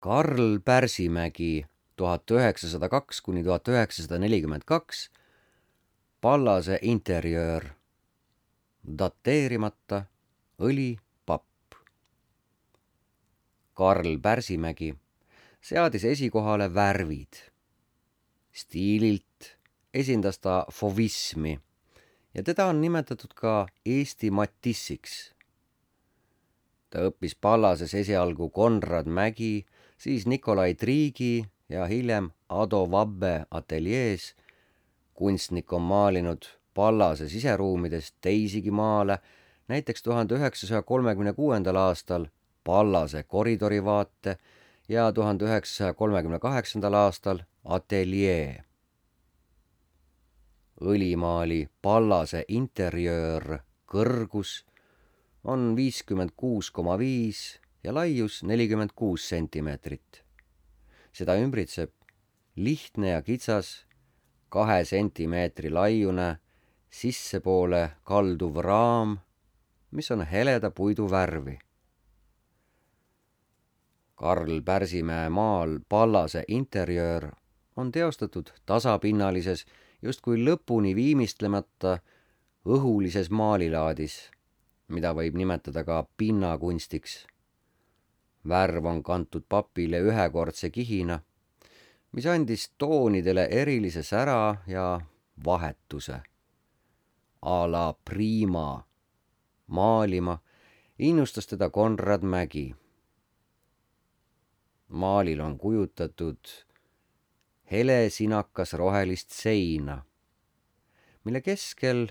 Karl Pärsimägi 1902–1942, Pallase interjöör, dateerimata, õli, papp. Karl Pärsimägi seadis esikohale värvid. Stiililt esindas ta fauvismi ja teda on nimetatud ka Eesti Matissiks. Ta õppis Pallases esialgu Konrad Mägi, siis Nikolai Triigi ja hiljem Ado Vabbe ateljees. Kunstnik on maalinud Pallase siseruumides teisigi maale, näiteks 1936. aastal Pallase koridorivaate ja 1938. aastal ateljee. Õlimaali Pallase interjöör kõrgus on 56,5 ja laius 46 sentimeetrit. Seda ümbritseb lihtne ja kitsas 2 sentimeetri laiune sissepoole kalduv raam, mis on heleda puidu värvi. Karl Pärsimäe maal Pallase interjöör on teostatud tasapinnalises, justkui lõpuni viimistlemata õhulises maalilaadis, mida võib nimetada ka pinnakunstiks. Värv on kantud papile ühekordse kihina, mis andis toonidele erilise sära ja vahetuse. A la prima maalima innustas teda Konrad Mägi. Maalil on kujutatud helesinakas rohelist seina, mille keskel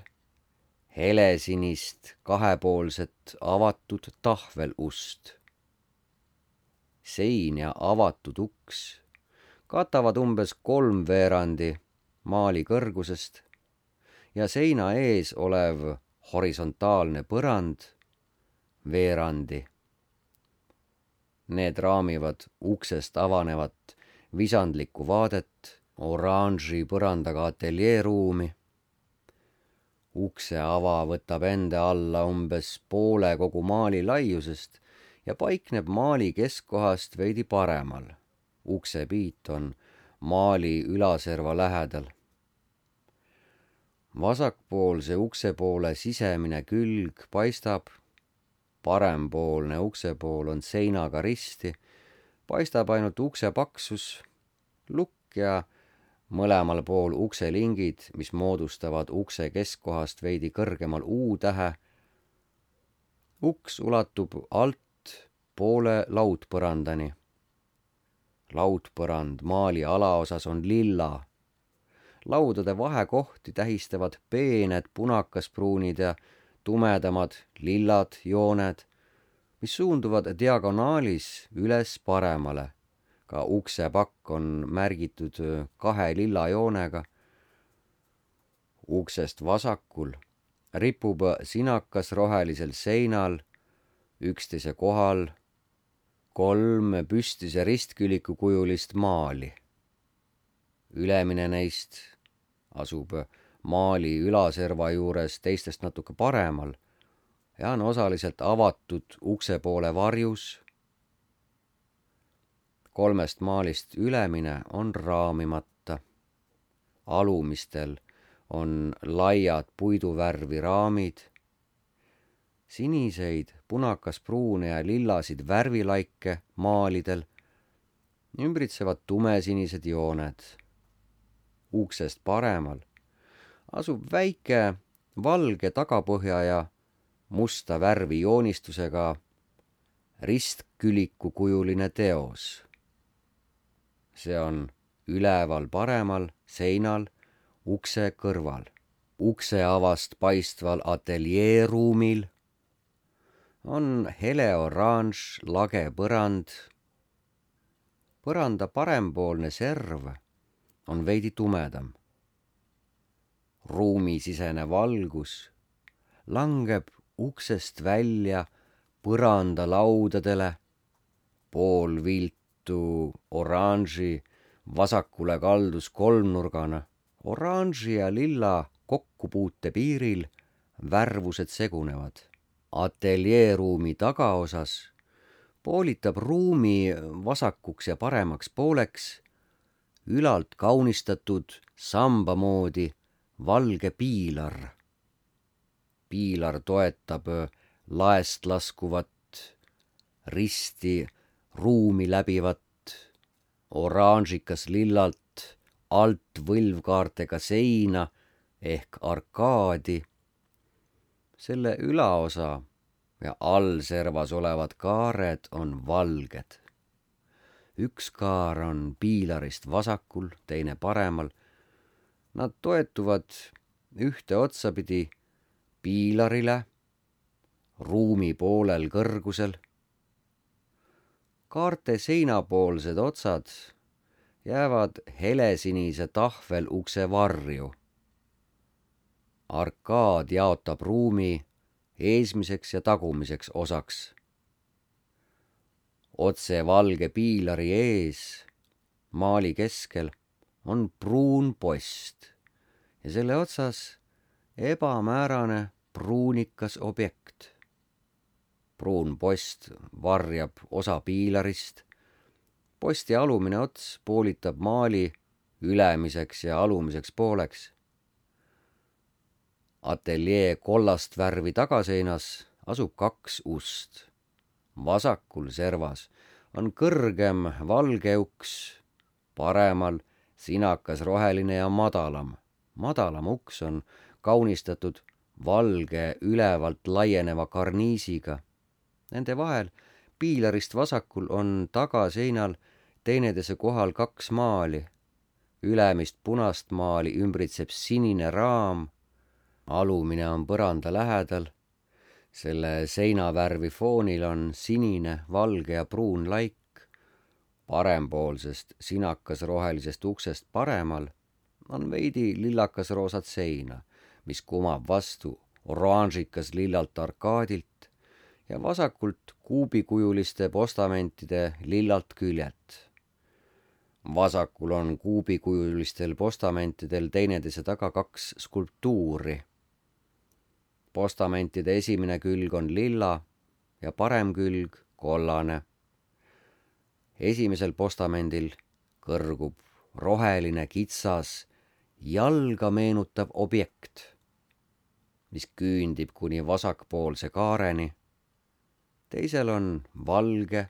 helesinist kahepoolset avatud tahvelust. Sein ja avatud uks katavad umbes 3/4 maali kõrgusest ja seina ees olev horisontaalne põrand veerandi. Need raamivad uksest avanevat visandlikku vaadet oranži põrandaga ateljeeruumi. Ukse ava võtab enda alla umbes poole kogu maali laiusest ja paikneb maali keskkohast veidi paremal. Uksepiit on maali ülaserva lähedal. Vasakpoolse ukse poole sisemine külg paistab, parempoolne uksepool on seinaga risti, paistab ainult ukse paksus, lukk ja mõlemal pool ukselingid, mis moodustavad ukse keskkohast veidi kõrgemal U-tähe. Uks ulatub alt poole laudpõrandani. Laudpõrand maali alaosas on lilla. Laudade vahekohti tähistavad peened punakaspruunid ja tumedamad lillad jooned, mis suunduvad diagonaalis üles paremale. Ka uksepakk on märgitud 2 lilla joonega. Uksest vasakul ripub sinakas rohelisel seinal üksteise kohal 3 püstise ristküliku kujulist maali. Ülemine neist asub maali ülaserva juures teistest natuke paremal ja on osaliselt avatud ukse poole varjus. 3 maalist ülemine on raamimata. Alumistel on laiad puiduvärvi raamid. Siniseid, punakaspruune ja lillasid värvilaike maalidel ümbritsevad tumesinised jooned. Uksest paremal asub väike valge tagapõhja ja musta värvi joonistusega ristküliku kujuline teos. See on üleval paremal seinal ukse kõrval. Ukse avast paistval ateljeeruumil on hele oranž lage põrand. Põranda parempoolne serv on veidi tumedam. Ruumisisene valgus langeb uksest välja põrandalaudadele, pool viltu oranži vasakule kaldus kolmnurgana. Oranži ja lilla kokkupuute piiril värvused segunevad. Ateljeeruumi tagaosas poolitab ruumi vasakuks ja paremaks pooleks ülalt kaunistatud samba moodi valge piilar. Piilar toetab laest laskuvat, risti ruumi läbivat, oranžikas lillalt alt võlvkaartega seina ehk arkaadi. Selle ülaosa ja allservas olevad kaared on valged. Üks kaar on piilarist vasakul, teine paremal. Nad toetuvad ühte otsapidi piilarile, ruumi poolel kõrgusel. Kaarte seinapoolsed otsad jäävad helesinise tahvelukse varju. Arkaad jaotab ruumi eesmiseks ja tagumiseks osaks. Otse valge piilari ees, maali keskel, on pruun post ja selle otsas ebamäärane pruunikas objekt. Pruun post varjab osa piilarist. Posti alumine ots poolitab maali ülemiseks ja alumiseks pooleks. Ateljee kollast värvi tagaseinas asub 2 ust. Vasakul servas on kõrgem valge uks, paremal sinakas roheline ja madalam. Madalam uks on kaunistatud valge ülevalt laieneva karniisiga. Nende vahel piilarist vasakul on tagaseinal teineteise kohal 2 maali. Ülemist punast maali ümbritseb sinine raam, alumine on põranda lähedal. Selle seinavärvi foonil on sinine, valge ja pruun laik. Parempoolsest sinakas rohelisest uksest paremal on veidi lillakas roosat seina, mis kumab vastu oranžikas lillalt arkaadilt ja vasakult kuubikujuliste postamentide lillalt küljet. Vasakul on kuubikujulistel postamentidel teineteise taga 2 skulptuuri. Postamentide esimene külg on lilla ja parem külg kollane. Esimesel postamendil kõrgub roheline kitsas jalga meenutav objekt, mis küündib kuni vasakpoolse kaareni. Teisel on valge,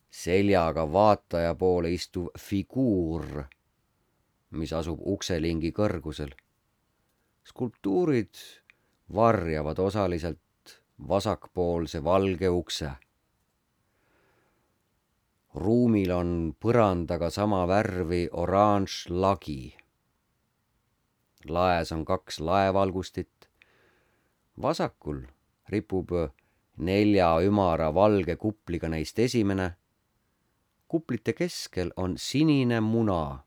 seljaga vaataja poole istuv figuur, mis asub ukselingi kõrgusel. Skulptuurid varjavad osaliselt vasakpoolse valge ukse. Ruumil on põrandaga sama värvi oranž lagi. Laes on 2 laevalgustit. Vasakul ripub 4 ümara valge kupliga neist esimene. Kuplite keskel on sinine muna,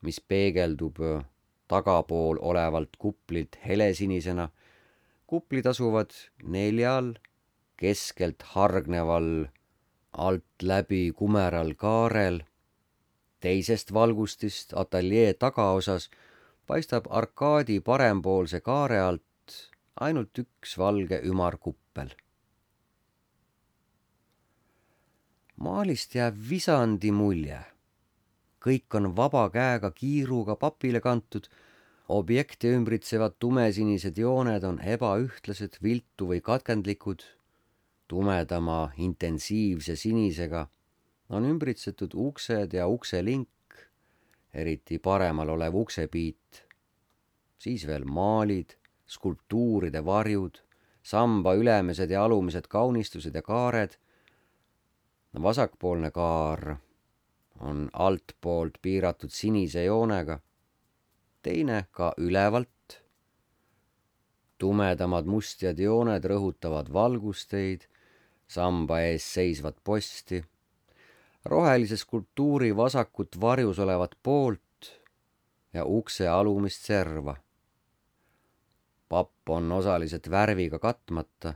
mis peegeldub tagapool olevalt kuplilt helesinisena. Kuplid asuvad 4 keskelt hargneval alt läbi kumeral kaarel. Teisest valgustist ateljee tagaosas paistab arkaadi parempoolse kaare alt ainult 1 valge ümarkuppel. Maalist jääb visandi mulje. Kõik on vaba käega kiiruga papile kantud. Objekti ümbritsevad tumesinised jooned on ebaühtlased, viltu või katkendlikud. Tumedama intensiivse sinisega on ümbritsetud uksed ja ukselink, eriti paremal olev uksepiit. Siis veel maalid, skulptuuride varjud, samba ülemised ja alumised kaunistused ja kaared. Vasakpoolne kaar on altpoolt piiratud sinise joonega, teine ka ülevalt. Tumedamad mustjad jooned rõhutavad valgusteid, samba ees seisvat posti, rohelise skulptuuri vasakut varjus olevat poolt ja ukse alumist serva. Papp on osaliselt värviga katmata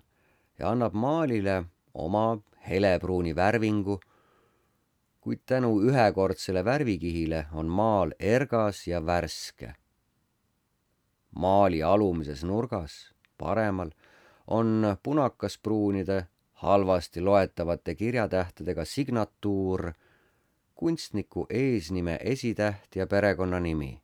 ja annab maalile oma helepruuni värvingu, kuid tänu ühekordsele värvikihile on maal ergas ja värske. Maali alumises nurgas, paremal, on punakaspruunide halvasti loetavate kirjatähtedega signatuur, kunstniku eesnime esitäht ja perekonnanimi.